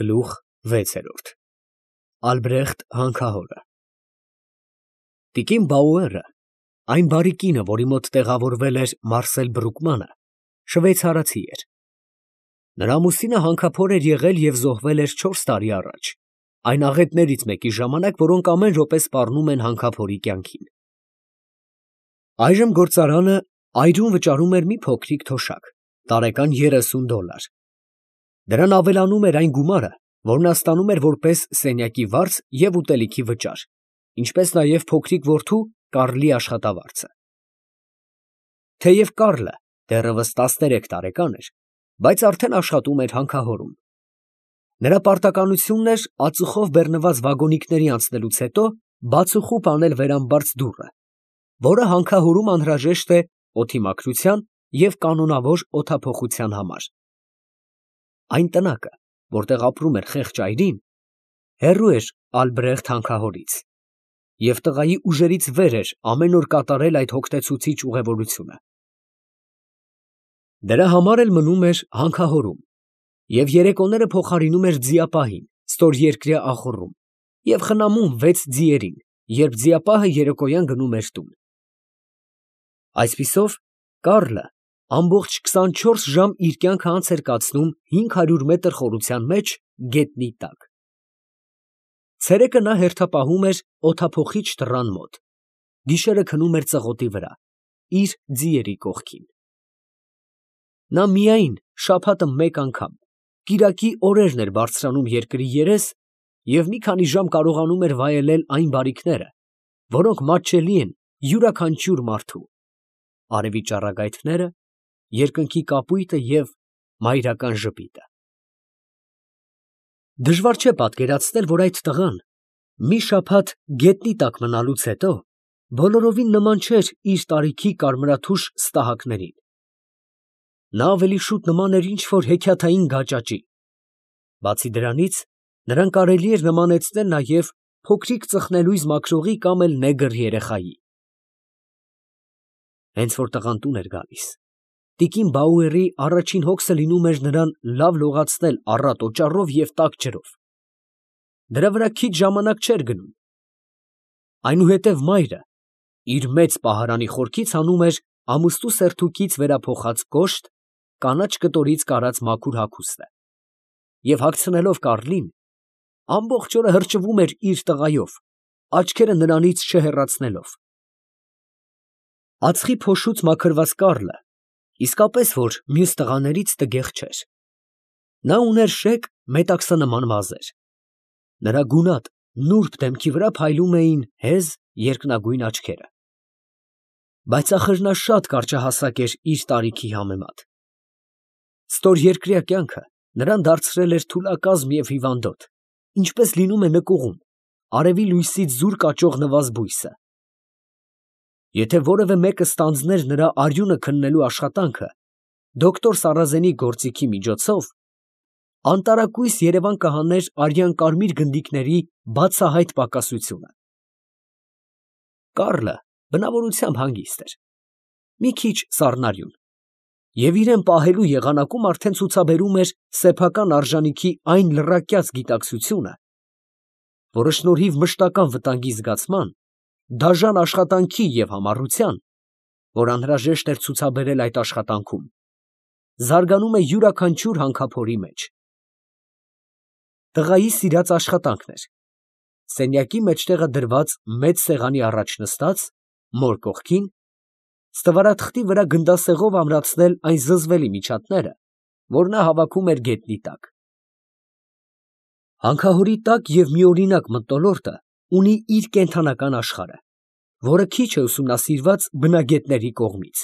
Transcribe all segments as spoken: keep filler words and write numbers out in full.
Գլուխ վեցերորդ Ալբրեխտ հանքահորը Տիկին Բաուերը, այն բարի կինը, որի մոտ տեղավորվել էր Մարսել Բրուկմանը, շվեյցարացի էր։ Նրա ամուսինը հանքափոր էր եղել և զոհվել էր չորս տարի առաջ, այն աղետներից մեկի ժամանակ, որոնք ամեն րոպե սպառնում են հանքափորի կյանքին։ Այժմ գործարանը այրում վճարում էր մի փոքրիկ թոշակ, տարեկան երեսուն դոլար։ Դրան ավելանում էր այն գումարը, որ նա ստանում էր որպես սենյակի վարձ և ուտելիքի վճար, ինչպես նաև փոքրիկ որդու Կարլի աշխատավարձը։ Թեև Կարլը դեռևս տասներեք տարեկան էր, բայց արդեն աշխատում էր հանքահորում։ Նրա պարտականությունն էր ածուխով բեռնված վագոնիկների անցնելուց հետո բացուխուպ անել վերամբարձ դուռը, որը հանքահորում անհրաժեշտ է օդի մաքրության և կանոնավոր օդափոխության համար։ Այն տնակը, որտեղ ապրում էր խեղճ այրին, հեռու էր Ալբրեխտ հանքահորից, և տղայի ուժերից վեր էր ամեն օր կատարել այդ հոգնեցուցիչ ուղևորությունը։ Դրա համար էլ մնում էր հանքահորում և երեկոները փոխարինում էր ձիապահին, ստորերկրյա ախոռում, և խնամում վեց ձիերին, երբ ձիապահը երեկոյան գնում էր տուն։ Այսպիսով, Կարլը ամբողջ քսանչորս ժամ իր կյանքը անց էր կացնում հինգ հարյուր մետր խորության մեջ գետնի տակ։ Ցերեկը նա հերթապահում էր օդափոխիչ դռան մոտ, գիշերը քնում էր ծղոտի վրա, իր ձիերի կողքին։ Նա միայն շաբաթը մեկ անգամ, կիրակի օրերն էր բարձրանում երկրի երես և մի քանի ժամ կարողանում էր վայելել այն բարիքները, որոնք մատչելի են յուրաքանչյուր մարդու՝ արևի ճառագայթները, երկնքի կապույտը և մայրական ժպիտը։ Դժվար չէ պատկերացնել, որ այդ տղան մի շաբաթ գետնի տակ մնալուց հետո բոլորովին նման չէր իր տարիքի կարմրաթուշ ստահակներին։ Նա ավելի շուտ նման էր ինչ֊որ հեքիաթային գաճաճի։ Բացի դրանից, նրան կարելի էր նմանեցնել նաև փոքրիկ ծխնելույզ մաքրողի կամ էլ նեգր երեխայի։ Հենց որ տղան տուն էր գալիս, տիկին Բաուերի առաջին հոգսը լինում էր նրան լավ լողացնել առատ օճառով և տաք ջրով։ Դրա վրա քիչ ժամանակ չէր գնում։ Այնուհետև մայրը իր մեծ պահարանի խորքից հանում էր ամուստու սերթուկից վերափոխած կոշտ, կանաչ կտորից կարած մաքուր հագուստը և հագցնելով Կարլին, ամբողջ օրը հրճվում էր իր տղայով, աչքերը նրանից չհեռացնելով։ Ածխի փոշուց մաքրված Կարլը իսկապես որ մյուս տղաներից տգեղ չէր։ Նա ուներ շեկ մետաքսանման մազեր։ Նրա գունատ, նուրբ դեմքի վրա փայլում էին հեզ, երկնագույն աչքերը։ Բայց ախր նա շատ կարճահասակ էր իր տարիքի համեմատ։ Ստորերկրյա կյանքը նրան դարձրել էր թուլակազմ և հիվանդոտ, ինչպես լինում է նկուղում արևի լույսից զուր կաճող նվազ բույսը։ Եթե որևէ մեկը ստանձներ նրա արյունը քննելու աշխատանքը դոկտոր Սարազենի գործիքի միջոցով, անտարակույս երևան կհաներ արյան կարմիր գնդիկների բացահայտ պակասությունը։ Կարլը բնավորությամբ հանգիստ էր, մի քիչ սառնարյուն, և իրան պահելու եղանակում արդեն ցուցաբերում էր սեփական արժանիքի այն լռակյաց գիտակցությունը, որը շնորհիվ մշտական վտանգի զգացման, դաժան աշխատանքի և համառության, որ անհրաժեշտ էր ցուցաբերել այդ աշխատանքում, զարգանում է յուրաքանչյուր հանքափորի մեջ։ Տղայի սիրած աշխատանքն էր, սենյակի մեջտեղը դրված մեծ սեղանի առաջ նստած, մոր կողքին, ստվարաթղթի վրա գնդասեղով ամրացնել այն զզվելի միջատները, որ նա հավաքում էր գետնի տակ։ Հանքահորի տաք և միօրինակ մթնոլորտը ունի իր կենդանական աշխարհը, որը քիչ է ուսումնասիրված բնագետների կողմից։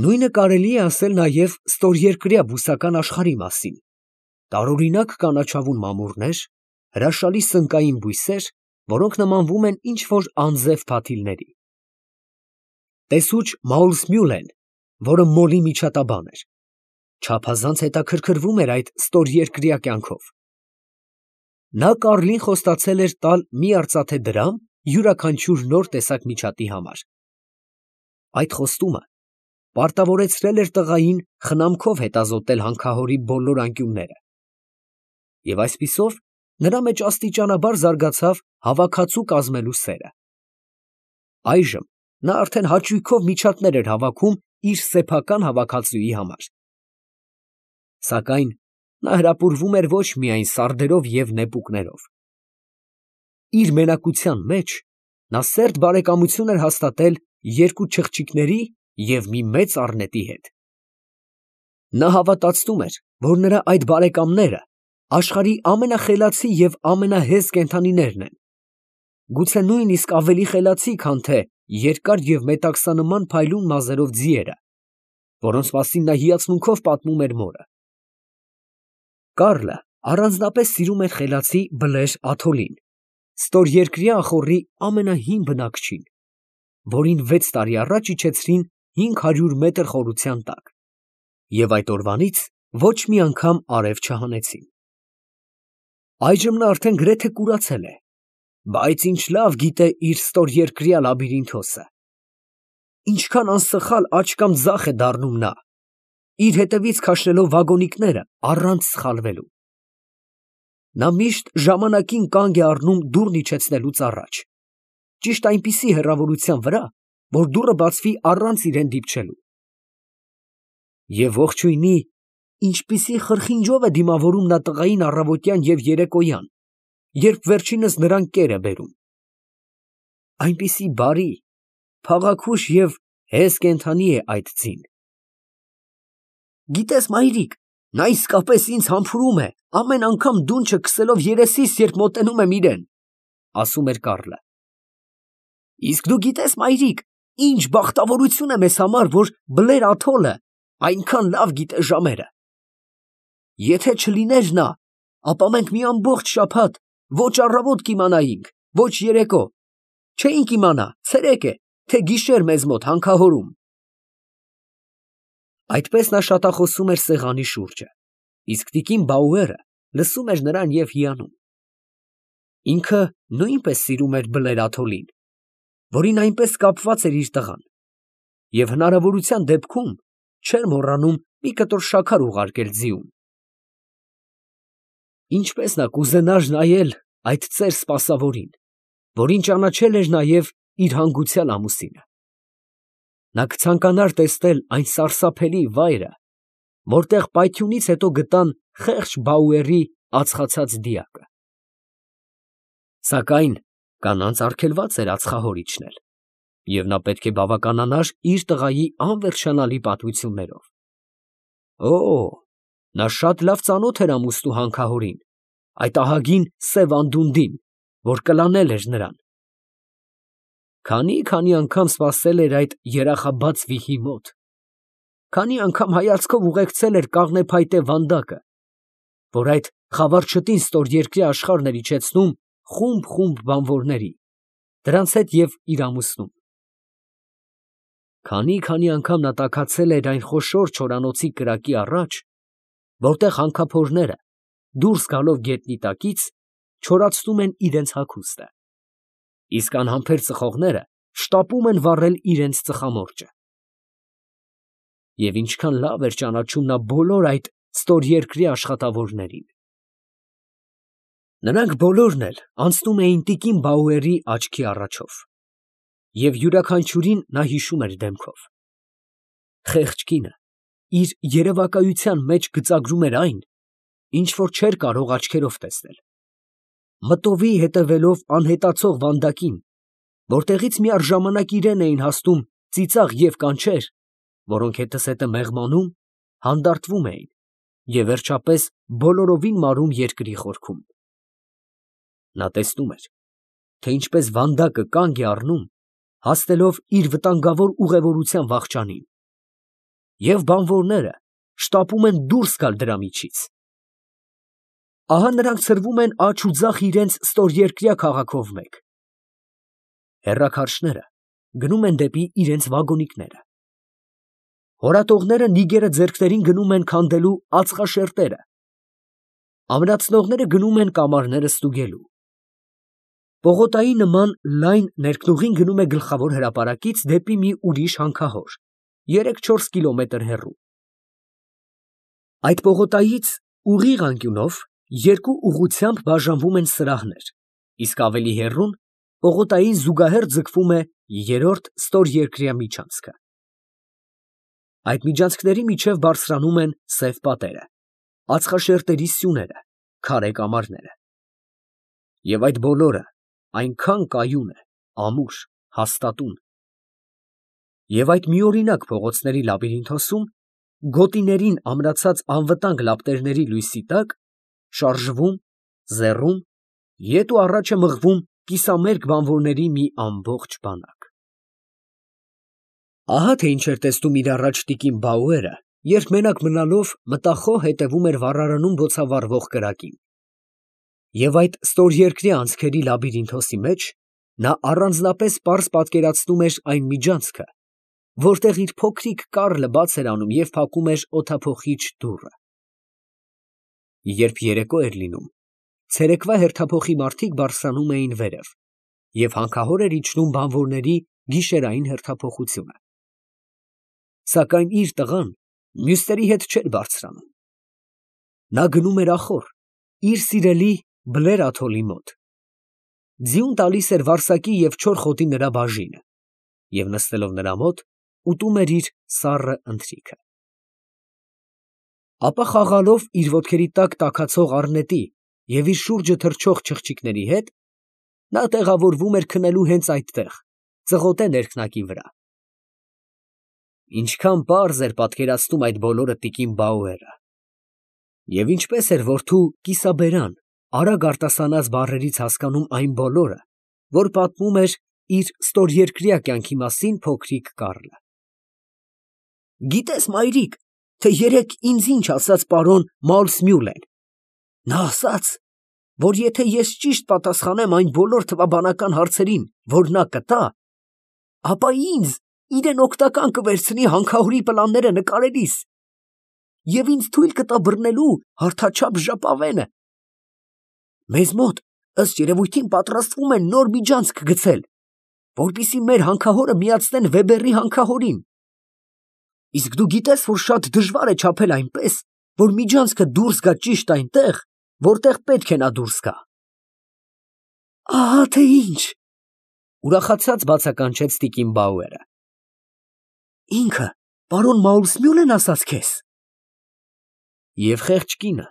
Նույնը կարելի է ասել նաև ստորերկրյա բուսական աշխարհի մասին. տարօրինակ կանաչավուն մամուռներ, հրաշալի սնկային բույսեր, որոնք նմանվում են ինչ֊որ անձև փաթիլների։ Տեսուչ Մաուրսմյուլեն, որը մոլի միջատաբան էր, չափազանց հետաքրքրվում էր այդ ստորերկրյա կյանքով։ Նա Կարլին խոստացել էր տալ մի արծաթե դրամ յուրաքանչյուր նոր տեսակ միջատի համար։ Այդ խոստումը պարտավորեցրել էր տղային խնամքով հետազոտել հանքահորի բոլոր անկյունները, Եվ այսպիսով նրա մեջ աստիճանաբար զարգացավ հավաքածու կազմելու սերը։ Այժմ նա արդեն հաճույքով միջատներ էր հավաքում իր սեփական հավաքածուի համար։ Սակայն նա հրապուրվում էր ոչ միայն սարդերով և նեպուկներով։ Իր մենակության մեջ նա սերտ բարեկամություն էր հաստատել երկու չղջիկների և մի մեծ առնետի հետ։ Նա հավատացնում էր, որ նրա այդ բարեկամները աշխարհի ամենախելացի և ամենահեզ կենդանիներն են, գուցե նույնիսկ ավելի խելացի, քան թե երկար և մետաքսանման փայլուն մազերով ձիերը, որոնց մասին նա հիացմունքով պատմում էր մորը։ Կառլը առանձնապես սիրում էր խելացի Բլեր Աթոլին, ստորերկրյա ախոռի ամենահին բնակչին, որին վեց տարի առաջ իջեցրին հինգ հարյուր մետր խորության տակ, և այդ օրվանից ոչ մի անգամ արև չհանեցին։ Այժմ նա արդեն գրեթե կուրացել է, բայց ինչ լավ գիտե իր ստորերկրյա լաբիրինթոսը։ Ինչքան անսխալ աջ կամ ձախ է դառնում նա, իր հետևից քաշելով վագոնիկները առանց սխալվելու։ Նա միշտ ժամանակին կանգ է առնում դուռն իջեցնելուց առաջ, ճիշտ այնպիսի հեռավորության վրա, որ դուռը բացվի առանց իրան դիպչելու։ Եվ ողջույնի, ինչպիսի խրխինջով է դիմավորում նա տղային առավոտյան և երեկոյան, երբ վերջինս նրան կեր է բերում։ Այնպիսի բարի, փաղաքուշ և հեզ կենդանի է այդ ձին։ Գիտես, մայրիկ, նա իսկապես ինձ համբուրում է, ամեն անգամ դունչը քսելով երեսիս, երբ մոտենում եմ իրան, ֊ ասում էր Կառլը։ Իսկ դու գիտես, մայրիկ, ինչ բախտավորություն է մեզ համար, որ Բլեր Աթոլը այնքան լավ գիտե ժամերը։ Եթե չլիներ նա, ապա մենք մի ամբողջ շաբաթ ոչ առավոտ կիմանայինք, ոչ երեկո, չէինք իմանա ցերեկ է, թե գիշեր մեզ մոտ հանքահորում։ Այդպես նա շատախոսում էր սեղանի շուրջը, իսկ տիկին Բաուերը լսում էր նրան և հիանում։ Ինքը նույնպես սիրում էր Բլեր Աթոլին, որին այնպես կապված էր իր տղան, և հնարավորության դեպքում չէր մոռանում մի կտոր շաքար ուղարկել ձիուն։ Ինչպես նա կուզենար նայել այդ ծեր սպասավորին, որին ճանաչել էր նաև իր հանգուցյալ ամուսինը։ Նա կցանկանար տեսնել այն սարսափելի վայրը, որտեղ պայթյունից հետո գտան խեղճ Բաուերի ածխացած դիակը։ Սակայն կանանց արգելված էր ածխահոր իջնել, և նա պետք է բավականանար իր տղայի անվերջանալի պատմություններով։ Օ, նա շատ լավ ծանոթ էր ամուսնու հանքահորին, այդ ահագին սև անդունդին, որ կլանել էր նրան։ Քանի՜֊քանի անգամ սպասել էր այդ երախաբաց վիհի մոտ, քանի՜ անգամ հայացքով ուղեկցել էր կաղնեփայտե վանդակը, որ այդ խավարչտին ստորերկրյա աշխարհն էր իջեցնում խումբ֊խումբ բանվորների, դրանց հետ և իր ամուսնուն։ Քանի՜֊քանի անգամ նա տաքացել էր այն խոշոր չորանոցի կրակի առաջ, որտեղ հանքափորները, դուրս գալով գետնի տակից, չորացնում են իրենց հագուստը, իսկ անհամբեր ծխողները շտապում են վառել իրենց ծխամորճը։ Եվ ինչքան լավ էր ճանաչում նա բոլոր այդ ստորերկրյա աշխատավորներին։ Նրանք բոլորն էլ անցնում էին տիկին Բաուերի աչքի առաջով, և յուրաքանչյուրին նա հիշում էր դեմքով։ Խեղճ կինը իր երևակայության մեջ գծագրում էր այն, ինչ որ չէր կարող աչքերով տեսնել, մտովի հետևելով անհետացող վանդակին, որտեղից միառժամանակ իրան էին հասնում ծիծաղ և կանչեր, որոնք հետզհետե մեղմանում, հանդարտվում էին և վերջապես բոլորովին մարում երկրի խորքում։ Նա տեսնում էր, թե ինչպես վանդակը կանգ է առնում, հասնելով իր վտանգավոր ուղևորության վախճանին, և բանվորները շտապում են դուրս գալ դրա միջից։ Ահա նրանք ցրվում են աջ ու ձախ իրենց ստորերկրյա քաղաքով մեկ։ Հեռաքարշները գնում են դեպի իրենց վագոնիկները։ Հորատողները նիգերը ձեռքներին գնում են քանդելու ածխաշերտերը, ամրացնողները գնում են կամարները ստուգելու։ Պողոտայի նման լայն ներքնուղին գնում է գլխավոր հրապարակից դեպի մի ուրիշ հանքահոր, երեք֊չորս կիլոմետր հեռու։ Այդ պողոտայից ուղիղ անկյունով Երկու ուղղությամբ բաժանվում են սրահներ, իսկ ավելի հեռուն պողոտային զուգահեռ ձգվում է երրորդ ստորերկրյա միջանցքը։ Այդ միջանցքների միջև բարձրանում են սև պատերը, ածխաշերտերի սյուները, քարե կամարները։ Եվ այդ բոլորը այնքան կայուն է, ամուր, հաստատուն։ Եվ այդ միօրինակ փողոցների լաբիրինթոսում, գոտիներին ամրացած անվտանգ լապտերների լույսի տակ, շարժվում, զեռում, ետ ու առաջ է մղվում կիսամերկ բանվորների մի ամբողջ բանակ։ Ահա թե ինչ էր տեսնում իր առաջ տիկին Բաուերը, երբ մենակ մնալով մտախոհ հետևում էր վառարանում բոցավառվող կրակին։ Եվ այդ ստորերկրյա անցքերի լաբիրինթոսի մեջ նա առանձնապես պարզ պատկերացնում էր այն միջանցքը, որտեղ իր փոքրիկ Կարլը բաց էր անում և փակում էր օդափոխիչ դուռը։ Երբ երեկո էր լինում, ցերեկվա հերթափոխի մարդիկ բարձրանում էին վերև, և հանքահոր էր իջնում բանվորների գիշերային հերթափոխությունը։ Սակայն իր տղան մյուսների հետ չէր բարձրանում։ Նա գնում էր ախոր, իր սիրելի Բլեր աթոռի մոտ, ձիուն տալիս էր վարսակի և չոր խոտի նրա բաժինը, և նստելով նրա մոտ, ուտում էր իր սառը ընթրիքը։ Ապա խաղալով իր ոտքերի տակ տաքացող առնետի և իր շուրջը թռչող չղջիկների հետ, նա տեղավորվում էր քնելու հենց այդտեղ, ծղոտե ներքնակի վրա։ Ինչքան պարզ էր պատկերացնում այդ բոլորը տիկին Բաուերը, և ինչպես էր որդու կիսաբերան, արագ արտասանած բառերից հասկանում այն բոլորը, որ պատմում էր իր ստորերկրյա կյանքի մասին փոքրիկ Կարլը։ Գիտե՞ս, մայրիկ, թե երեկ ինձ ինչ ասաց պարոն Մաուլսմյուլեն. նա ասաց, որ եթե ես ճիշտ պատասխանեմ այն բոլոր թվաբանական հարցերին, որ նա կտա, ապա ինձ իրեն օգտական կվերցնի հանքահորի պլանները նկարելիս և ինձ թույլ կտա բռնելու հարթաչափ ժապավենը։ Մեզ մոտ, ըստ երևույթին, պատրաստվում են նոր միջանցք գցել, որպեսզի մեր հանքահորը միացնեն Վեբերի հանքահորին։ Իսկ դու գիտե՞ս, որ շատ դժվար է չափել այնպես, որ միջանցքը դուրս գա ճիշտ այնտեղ, որտեղ պետք է նա դուրս գա։ Ահա թե ինչ, ուրախացած բացականչեց տիկին Բաուերը։ Ինքը պարոն Մաուլսմյուլեն ասաց քեզ։ Եվ խեղճ կինը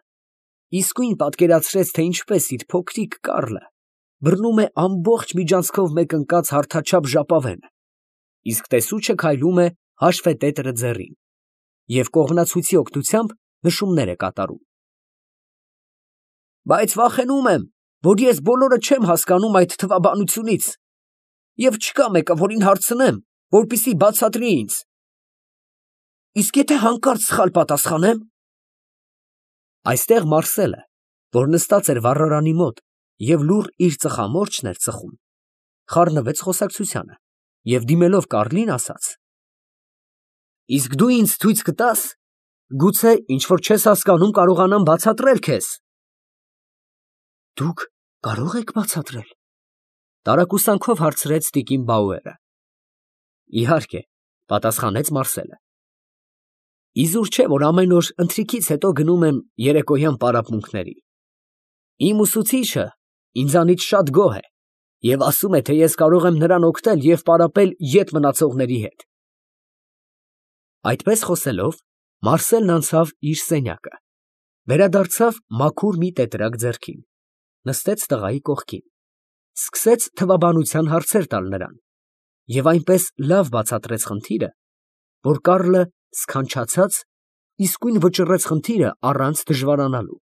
իսկույն պատկերացրեց, թե ինչպես իր փոքրիկ Կարլը բռնում է ամբողջ միջանցքով մեկընկած հարթաչափ ժապավենը, իսկ տեսուչը քայլում է հաշվետետրը ձեռին և կողմնացույցի օգնությամբ նշումներ է կատարում։ Բայց վախենում եմ, որ ես բոլորը չեմ հասկանում այդ թվաբանությունից, և չկա մեկը, որին հարցնեմ, որպեսզի բացատրի ինձ։ Իսկ եթե հանկարծ սխալ պատասխանեմ։ Այստեղ Մարսելը, որ նստած էր վառարանի մոտ և լուռ իր ծխամորճն էր ծխում, խառնվեց խոսակցությանը և դիմելով Կարլին, ասաց. Իսկ դու ինձ ցույց կտա՞ս, գուցե ինչ որ չես հասկանում կարողանամ բացատրել քեզ։ Դուք կարո՞ղ եք բացատրել, տարակուսանքով հարցրեց տիկին Բաուերը։ Իհարկե, պատասխանեց Մարսելը։ Իզուր չէ, որ ամեն օր ընթրիքից հետո գնում եմ երեկոյան պարապմունքների։ Իմ ուսուցիչը ինձանից շատ գոհ է և ասում է, թե ես կարող եմ նրան օգնել և պարապել ետ մնացողների հետ։ Այդպես խոսելով, Մարսելն անցավ իր սենյակը, վերադարձավ մաքուր մի տետրակ ձեռքին, նստեց տղայի կողքին, սկսեց թվաբանության հարցեր տալ նրան և այնպես լավ բացատրեց խնդիրը, որ Կարլը սքանչացած իսկույն վճռեց խնդիրը առանց դժվարանալու։